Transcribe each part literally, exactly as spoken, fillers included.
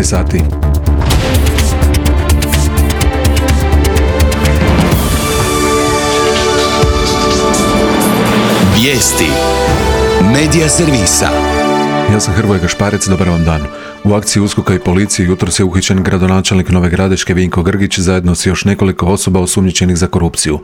devet sati. Vijesti Medija servisa. Ja sam Hrvoje Gašparec, dobar vam dan. U akciji USKOK-a i policije jutros je uhićen gradonačelnik Nove Gradiške Vinko Grgić zajedno s još nekoliko osoba osumnjičenih za korupciju.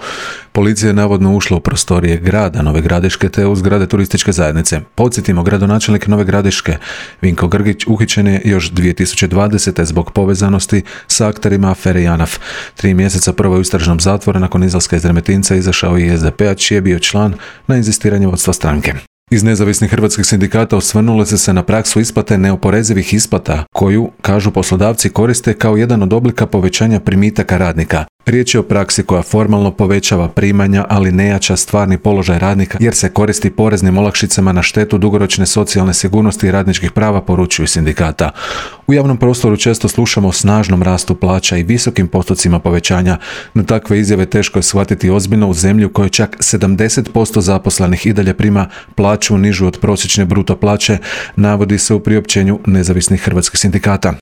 Policija je navodno ušla u prostorije grada Nove Gradiške te u zgrade turističke zajednice. Podsjetimo, gradonačelnik Nove Gradiške Vinko Grgić uhićen je još dvije tisuće dvadesete zbog povezanosti sa akterima afere JANAF. Tri mjeseca prvo je u istražnom zatvoru, nakon izlaska iz Remetinca izašao i es de pe, a čiji je bio član na inzistiranje vodstva stranke. Iz nezavisnih hrvatskih sindikata osvrnuli su se na praksu isplate neoporezivih isplata, koju, kažu poslodavci, koriste kao jedan od oblika povećanja primitaka radnika. Riječ je o praksi koja formalno povećava primanja, ali ne jača stvarni položaj radnika, jer se koristi poreznim olakšicama na štetu dugoročne socijalne sigurnosti i radničkih prava, poručuju sindikata. U javnom prostoru često slušamo o snažnom rastu plaća i visokim postocima povećanja, no takve izjave teško je shvatiti ozbiljno u zemlji u kojoj čak sedamdeset posto zaposlenih i dalje prima plaću nižu od prosječne bruto plaće, navodi se u priopćenju nezavisnih hrvatskih sindikata.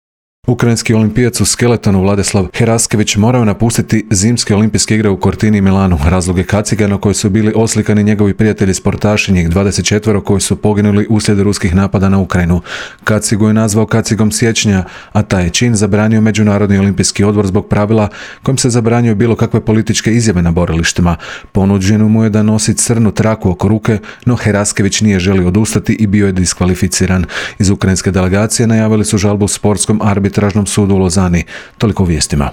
Ukrajinski olimpijac u skeletonu Vladislav Heraskević morao napustiti zimske olimpijske igre u Cortini i Milanu. Razlog je kaciga na kojoj su bili oslikani njegovi prijatelji sportaši, njih dvadeset četvero koji su poginuli uslijed ruskih napada na Ukrajinu. Kacigu je nazvao kacigom siječnja, a taj je čin zabranio Međunarodni olimpijski odbor zbog pravila kojim se zabranjuje bilo kakve političke izjave na borilištima. Ponuđeno mu je da nosi crnu traku oko ruke, no Heraskević nije želio odustati i bio je diskvalificiran. Iz ukrajinske delegacije najavili su žalbu sportskom arbitru Tražnom sudu u Lozani. Toliko u vijestima.